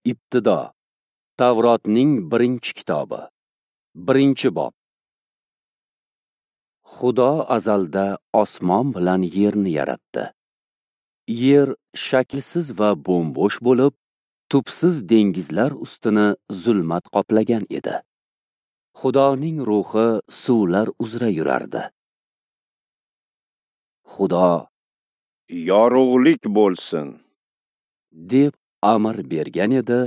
Ibtido. Tavrotning birinchi kitobi. 1-bob. Xudo azalda osmon bilan yerni yaratdi. Yer shaklsiz va bo'm-bo'sh bo'lib, tubsiz dengizlar ustini zulmat qoplagan edi. Xudoning ruhi suvlar uzra yurardi. Xudo "Yorug'lik bo'lsin" deb amr bergan edi,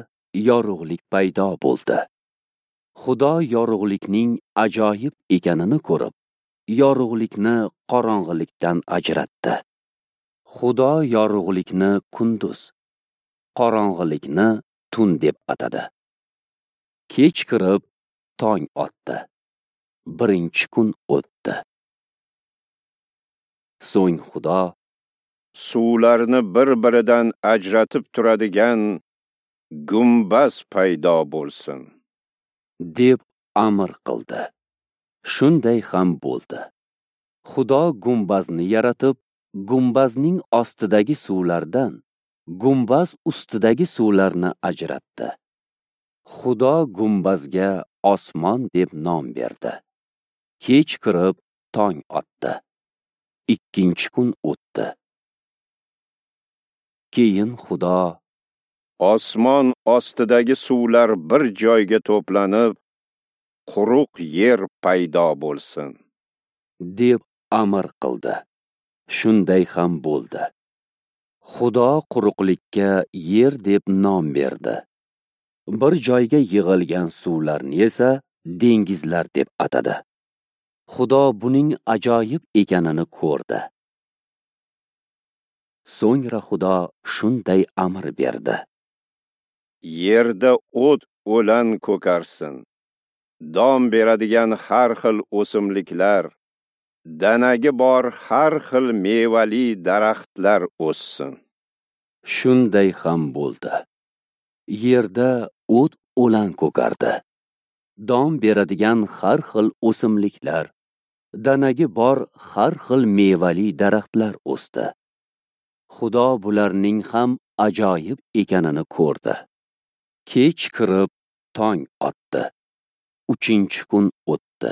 yorug'lik paydo bo'ldi. Xudo yorug'likning ajoyib ekanini ko'rib, yorug'likni qorong'ilikdan ajratdi. Xudo yorug'likni kunduz, qorong'ilikni tun deb atadi. Kech kirib, tong otdi. 1-kun o'tdi. So'ng Xudo suvlarni bir-biridan ajratib turadigan gumbaz paydo bo'lsin deb amr qildi. Shunday ham bo'ldi. Xudo gumbazni yaratib, gumbazning ostidagi suvlardan gumbaz ustidagi suvlarni ajratdi. Xudo gumbazga osmon deb nom berdi. Kech kirib, tong otdi. 2-kun o'tdi. Keyin Xudo osmon ostidagi suvlar bir joyga to'planib, quruq yer paydo bo'lsin deb amr qildi. Shunday ham bo'ldi. Xudo quruqlikka yer deb nom berdi. Bir joyga yig'ilgan suvlarni esa dengizlar deb atadi. Xudo buning ajoyib ekanini ko'rdi. So'ngra Xudo shunday amr berdi: Yerda o't o'lan ko'karsin, don beradigan har xil o'simliklar, danagi bor har xil mevali daraxtlar o'ssin. Shunday ham bo'ldi. Yerda o't o'lan ko'kardi. Don beradigan har xil o'simliklar, danagi bor har xil mevali daraxtlar o'sdi. Xudo bularning ham ajoyib ekanini ko'rdi. Kech kirib, tong otdi. 3-kun o'tdi.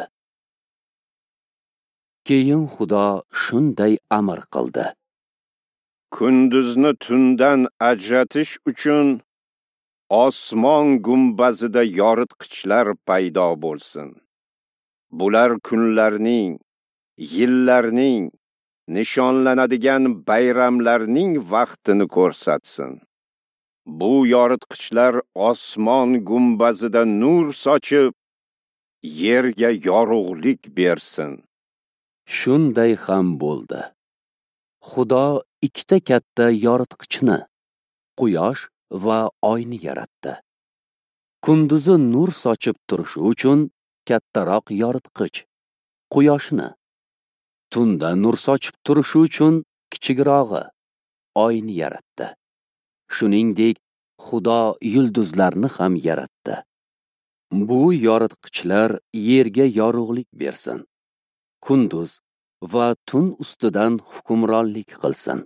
Keyin Xudo shunday amr qildi: Kunduzni tundan ajratish uchun osmon gumbazida yoritqichlar paydo bo'lsin. Bular kunlarning, yillarning, nishonlanadigan bayramlarning vaqtini ko'rsatsin. Bu yoritqichlar osmon gumbazida nur sochib, yerga yorug'lik bersin. Shunday ham bo'ldi. Xudo ikkita katta yoritqichni, quyosh va oyni yaratdi. Kunduzi nur sochib turishi uchun kattaroq yoritqich, quyoshni, tunda nur sochib turishi uchun kichikrog'i, oyni yaratdi. Shuningdek, Xudo yulduzlarni ham yaratdi. Bu yoritqichlar yerga yorug'lik bersin, kunduz va tun ustidan hukmronlik qilsin,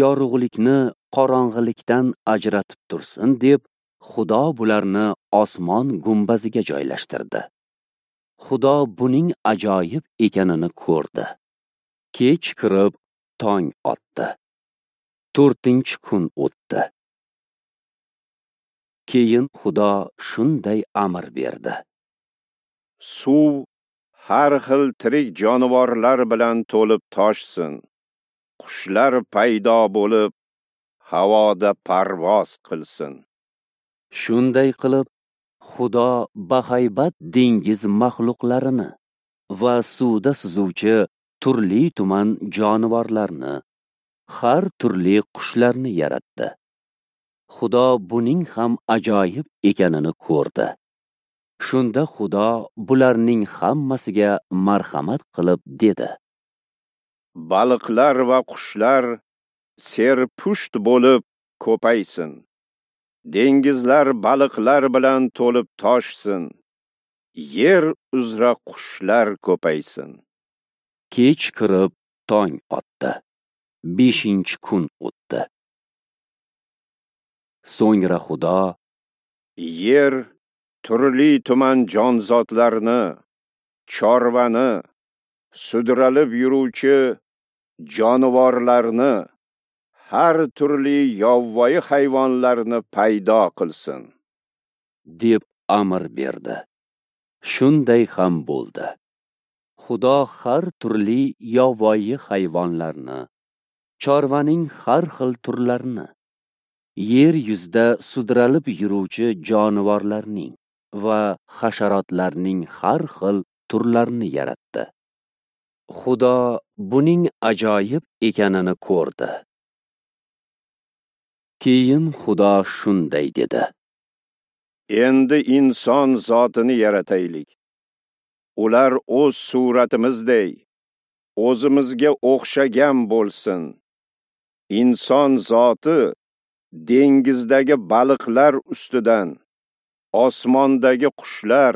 yorug'likni qorong'ilikdan ajratib tursin deb Xudo bularni osmon gumbaziga joylashtirdi. Xudo buning ajoyib ekanini ko'rdi. Kech kirib, tong otdi. 4-kun o'tdi. Keyin Xudo shunday amr berdi: Suv har xil tirik jonivorlar bilan to'lib toshsin. Qushlar paydo bo'lib, havoda parvoz qilsin. Shunday qilib, Xudo bahaybat dengiz maxluqlarini va suvda suzuvchi turli tuman jonivorlarni, har turli qushlarni yaratdi. Xudo buning ham ajoyib ekanini ko'rdi. Shunda Xudo bularning hammasiga marhamat qilib dedi: Baliqlar va qushlar serpusht bo'lib ko'paysin. Dengizlar baliqlar bilan to'lib toshsin. Yer uzra qushlar ko'paysin. Kech kirib, tong otdi. 5-kun o'tdi. So'ngra Xudo: Yer turli tuman jonzotlarni, chorvani, sudralib yuruvchi jonivorlarni, har turli yovvoyi hayvonlarni paydo qilsin, deb amr berdi. Shunday ham bo'ldi. Xudo har turli yovvoyi hayvonlarni, chorvaning har xil turlarini, yer yuzida sudralib yuruvchi jonivorlarning va hasharotlarning har xil turlarini yaratdi. Xudo buning ajoyib ekanini ko'rdi. Keyin Xudo shunday dedi: Endi inson zotini yarataylik. Ular o'z suratimizday, o'zimizga o'xshagan bo'lsin. Inson zoti dengizdagi baliqlar ustidan, osmondagi qushlar,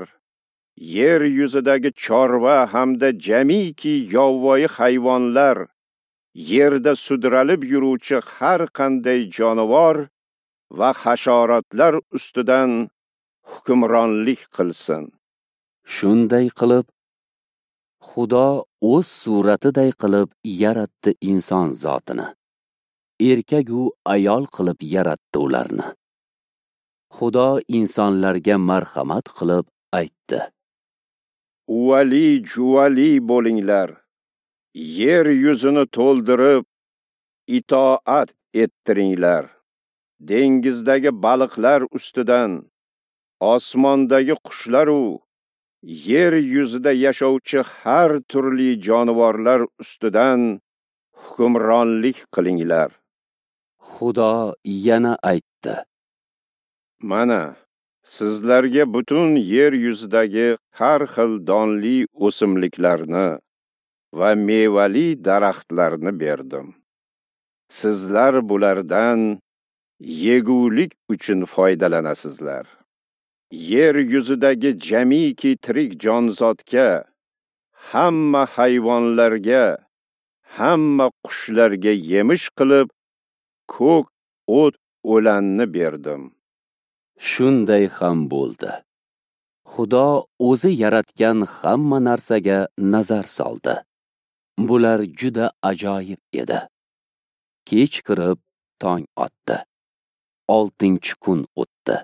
yer yuzidagi chorva hamda jamiki yovvoyi hayvonlar, yerda sudralib yuruvchi har qanday jonivor va hasharotlar ustidan hukmronlik qilsin. Shunday qilib, Xudo o'z suratiday qilib yaratdi inson zotini. Erkak u ayol qilib yaratdi ularni. Xudo insonlarga marhamat qilib aytdi: Uvali juvali bo'linglar, yer yuzini to'ldirib, itoat ettiringlar. Dengizdagi baliqlar ustidan, osmondagi qushlar u yer yuzida yashovchi har turli jonivorlar ustidan hukmronlik qilinglar. Xudo yana aytdi: Mana, sizlarga butun yer yuzidagi har xil donli o'simliklarni va mevali daraxtlarni berdim. Sizlar bulardan yegulik uchun foydalanasizlar. Yer yuzidagi jamiki tirik jonzotga, hamma hayvonlarga, hamma qushlarga yemish qilib ko'k o't o'lanni berdim. Shunday ham bo'ldi. Xudo o'zi yaratgan hamma narsaga nazar soldi. Bular juda ajoyib edi. Kech kirib tong otdi. 6-kun o'tdi.